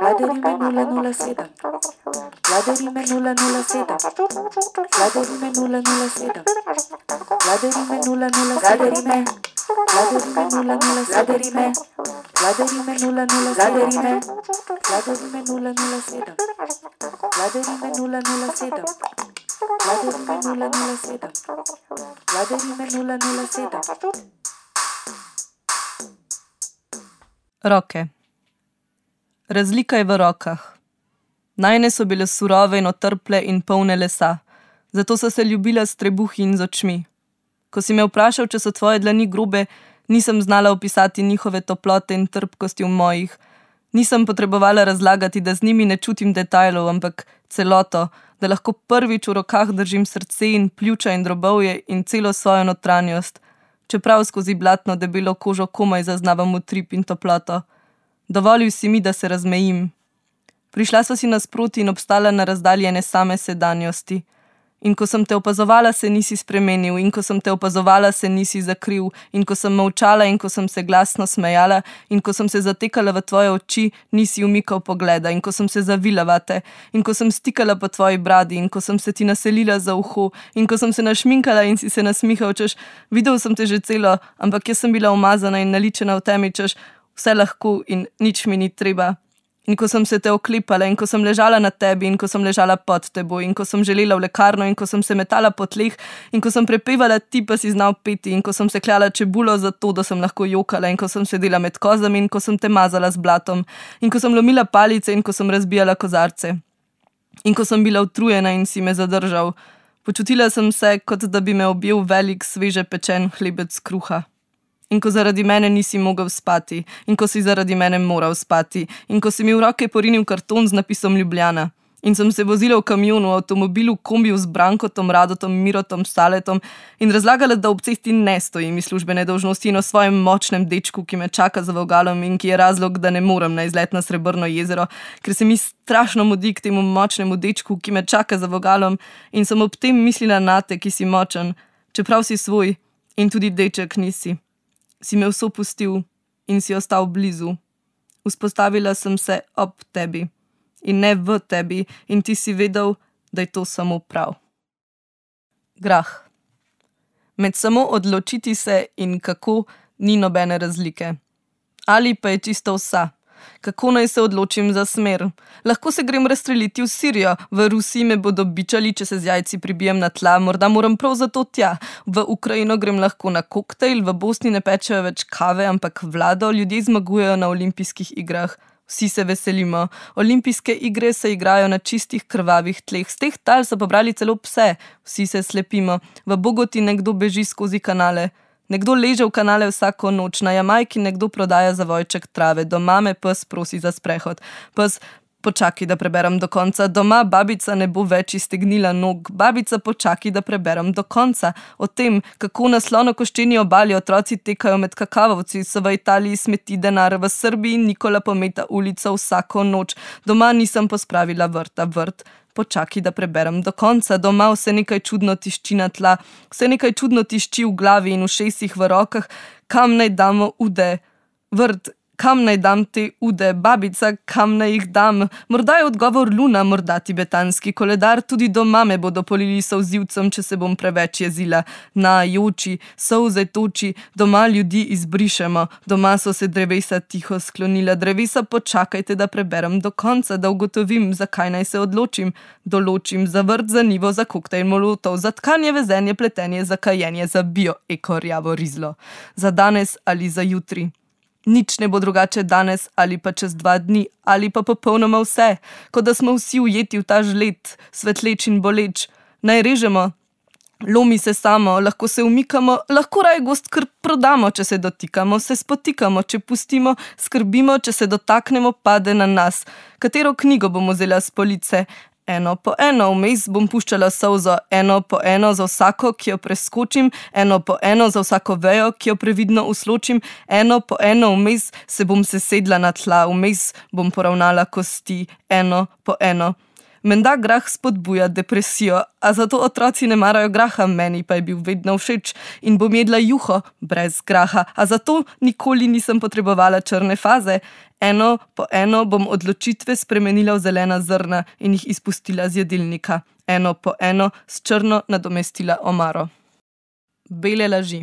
Vladarime 007. Vladarime 007. Vladarime 007. Vladarime 007. Vladarime 007. Vladarime 007. Vladarime 007. Vladarime 007. Vladarime 007. Vladarime 007. Roke. Razlika je v rokah. Najne so bile surove in otrple in polne lesa, zato so se ljubila s trebuhi in z očmi. Ko si me vprašal, če so tvoje dlani grobe, nisem znala opisati njihove toplote in trpkosti v mojih. Nisem potrebovala razlagati, da z njimi ne čutim detajlov, ampak celoto, da lahko prvič v rokah držim srce in pljuča in drobovje in celo svojo notranjost, čeprav skozi blatno debelo kožo komaj zaznavam utrip in toploto. Dovolil si mi, da se razmejim. Prišla sva si nasproti in obstala na razdalji ene same sedanjosti. In ko sem te opazovala, se nisi spremenil, in ko sem te opazovala, se nisi zakril, in ko sem molčala in ko sem se glasno smejala, in ko sem se zatekala v tvoje oči, nisi umikal pogleda, in ko sem se zavila vate, in ko sem stikala po tvoji bradi, in ko sem se ti naselila za uho, in ko sem se našminkala in si se nasmihal, češ, videl sem te že celo, ampak jaz sem bila umazana in naličena v temi, češ, vse lahko in nič mi ni treba. In ko sem se te oklepala in ko sem ležala na tebi in ko sem ležala pod teboj in ko sem želela v lekarno in ko sem se metala po tleh in ko sem prepevala, ti pa si znal peti in ko sem se kljala čebulo zato, da sem lahko jokala in ko sem sedela med kozami in ko sem te mazala z blatom in ko sem lomila palice in ko sem razbijala kozarce. In ko sem bila utrujena in si me zadržal, počutila sem se, kot da bi me objel velik, sveže pečen hlebec kruha. In ko zaradi mene nisi mogel spati, in ko si zaradi mene moral spati, in ko si mi v roke porinil karton z napisom Ljubljana, in sem se vozila v kamionu, v avtomobilu, kombiju z Brankotom, Radotom, Mirotom, Staletom in razlagala, da ob cesti ne stojim iz službene dolžnosti in o svojem močnem dečku, ki me čaka za vogalom in ki je razlog, da ne morem na izlet na Srebrno jezero, ker se mi strašno mudi k temu močnemu dečku, ki me čaka za vogalom in sem ob tem mislila nate, ki si močen, čeprav si svoj in tudi deček nisi. Si me vso pustil in si ostal blizu. Vzpostavila sem se ob tebi in ne v tebi in ti si vedel, da je to samo prav. Grah. Med samo odločiti se in kako ni nobene razlike. Ali pa je čisto vsa. Kako naj se odločim za smer? Lahko se grem razstreliti v Sirijo, v Rusiji me bodo bičali, če se z jajci pribijem na tla, morda moram prav zato tja. V Ukrajino grem lahko na koktejl, v Bosni ne pečejo več kave, ampak vlado, ljudje zmagujejo na olimpijskih igrah. Vsi se veselimo. Olimpijske igre se igrajo na čistih krvavih tleh. Z teh tal so pobrali celo pse. Vsi se slepimo. V Bogoti nekdo beži skozi kanale. Nekdo leže v kanale vsako noč, na Jamajki nekdo prodaja zavojček trave, doma me pes prosi za sprehod. Pes, počakaj, da preberem do konca, doma babica ne bo več iztegnila nog, babica počakaj, da preberem do konca. O tem, kako na Slonokoščeni obali otroci tekajo med kakavovci, so v Italiji smeti denar, v Srbiji Nikola pometa ulico vsako noč, doma nisem pospravila vrta, vrt. Počakaj, da preberem do konca, doma vse nekaj čudno tišči na tla, vse nekaj čudno tišči v glavi in ušesih v rokah, kam naj damo ude, vrt, kam naj dam te ude, babica, kam naj jih dam, morda je odgovor luna, morda tibetanski koledar, tudi doma me bodo polili solzivcem, če se bom preveč jezila, na joči, solze toči, doma ljudi izbrišemo, doma so se drevesa tiho sklonila, drevesa počakajte, da preberem do konca, da ugotovim, zakaj naj se odločim, določim, za vrt, za nivo, za koktejl molotov, za tkanje, vezenje, pletenje, za kajenje, za bio, eko, rjavo rizlo, za danes ali za jutri. Nič ne bo drugače danes ali pa čez 2 dni ali pa popolnoma vse, kot da smo vsi ujeti v ta žled, svetleč in boleč. Naj režemo, lomi se samo, lahko se umikamo, lahko raj gost kar prodamo, če se dotikamo, se spotikamo, če pustimo, skrbimo, če se dotaknemo, pade na nas. Katero knjigo bomo vzela s police? Eno po eno, vmes bom puščala solzo, eno po eno za vsako, ki jo preskočim, eno po eno za vsako vejo, ki jo previdno usločim, eno po eno, vmes se bom sesedla na tla, vmes bom poravnala kosti, eno po eno. Menda grah spodbuja depresijo, a zato otroci ne marajo graha, meni pa je bil vedno všeč in bom jedla juho brez graha, a zato nikoli nisem potrebovala črne faze. Eno po eno bom odločitve spremenila v zelena zrna in jih izpustila z jedilnika. Eno po eno s črno nadomestila omaro. Bele laži.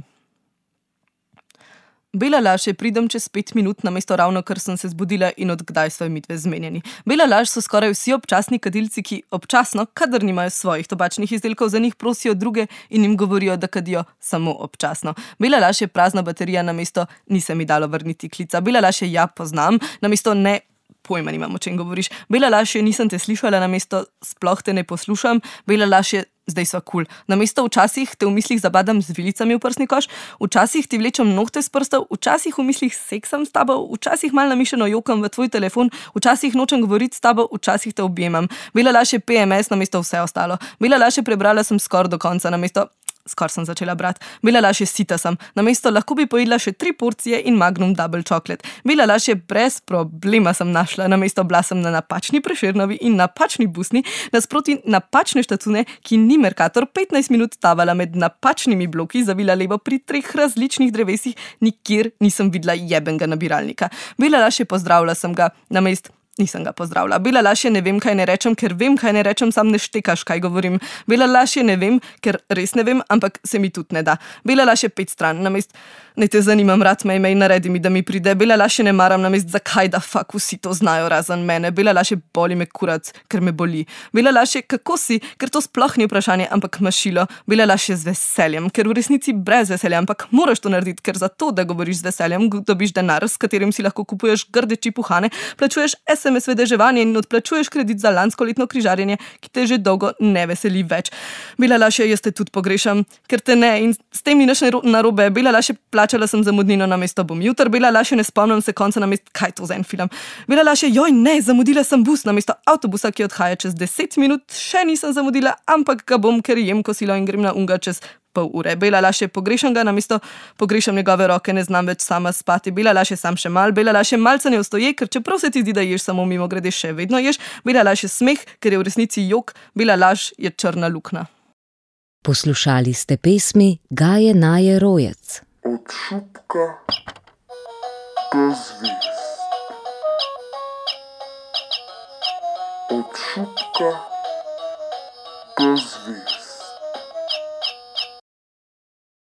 Bela laž je pridem čez 5 minut, namesto ravno kar sem se zbudila in od kdaj sva midve zmenjeni. Bela laž so skoraj vsi občasni kadilci, ki občasno, kadar nimajo svojih tobačnih izdelkov, za njih prosijo druge in jim govorijo, da kadijo samo občasno. Bela laž je prazna baterija, namesto ni se mi dalo vrniti klica. Bela laž je ja poznam, namesto ne pojma nimam, o čem govoriš. Bela laž je nisem te slišala, namesto sploh te ne poslušam. Bela laž je zdaj sva kul. Namesto včasih te v mislih zabadam z vilicami v prsni koš, včasih ti vlečem nohte s prstov, včasih v mislih seksam s tabo, včasih mal namišljeno jokam v tvoj telefon, včasih nočem govoriti s tabo, včasih te objemam. Bela laž je PMS namesto vse ostalo. Bela laž je prebrala sem skoraj do konca, namesto skoraj sem začela brati. Bela laž je sita sem. Namesto lahko bi pojedla še 3 porcije in Magnum Double Chocolate. Bela laž je brez problema sem našla. Namesto bila sem na napačni Prešernovi in napačni busni, nasproti napačne štacune, ki ni Mercator, 15 minut tavala med napačnimi bloki, zavila levo pri 3 različnih drevesih, nikjer nisem videla jebenga nabiralnika. Bela laž je pozdravila sem ga, namesto nisem ga pozdravila. Bela laž je ne vem, kaj ne rečem, ker vem, kaj ne rečem, sam ne štekaš, kaj govorim. Bela laž je ne vem, ker res ne vem, ampak se mi tudi ne da. Bela laž je 5 stran, namesto ne te zanimam, rad me imej, naredi mi, da mi pride. Bela laž je ne maram, namesto zakaj da fak vsi to znajo razen mene. Bela laž je boli me kurac, ker me boli. Bela laž je kako si, ker to sploh ni vprašanje, ampak mašilo. Bela laž je z veseljem, ker v resnici brez veselja, ampak moraš to narediti, ker za to, da govoriš z veseljem, dobiš denar, s katerim si lahko kupuješ grdeči puhane, plačuješ SMS vedeževanje in odplačuješ kredit za lansko letno križarjenje, ki te že dolgo ne veseli več. Bela laž je, jaz te tudi pogrešam, ker te ne in s tem ni nič narobe. Bela laž je, plačala sem zamudnino, namesto bom jutr. Bela laž je, ne spomnim se konca, namesto kaj to za en film. Bela laž je, joj ne, zamudila sem bus, namesto avtobusa, ki odhaja čez 10 minut, še nisem zamudila, ampak ga bom, ker jem kosilo in grem na unga čez pol ure. Bela laž je, pogrešam ga, namesto pogrešam njegove roke, ne znam več sama spati. Bela laž je, sam še mal. Bela laž je, malce ne ostoje, ker čeprav se ti zdi, da ješ samo mimo grede, še vedno ješ. Bela laž je smeh, ker je v resnici jok. Bela laž je črna luknja. Poslušali ste pesmi Gaje Naje Rojec. Od šupka do zvezd. Od šupka do zvezd.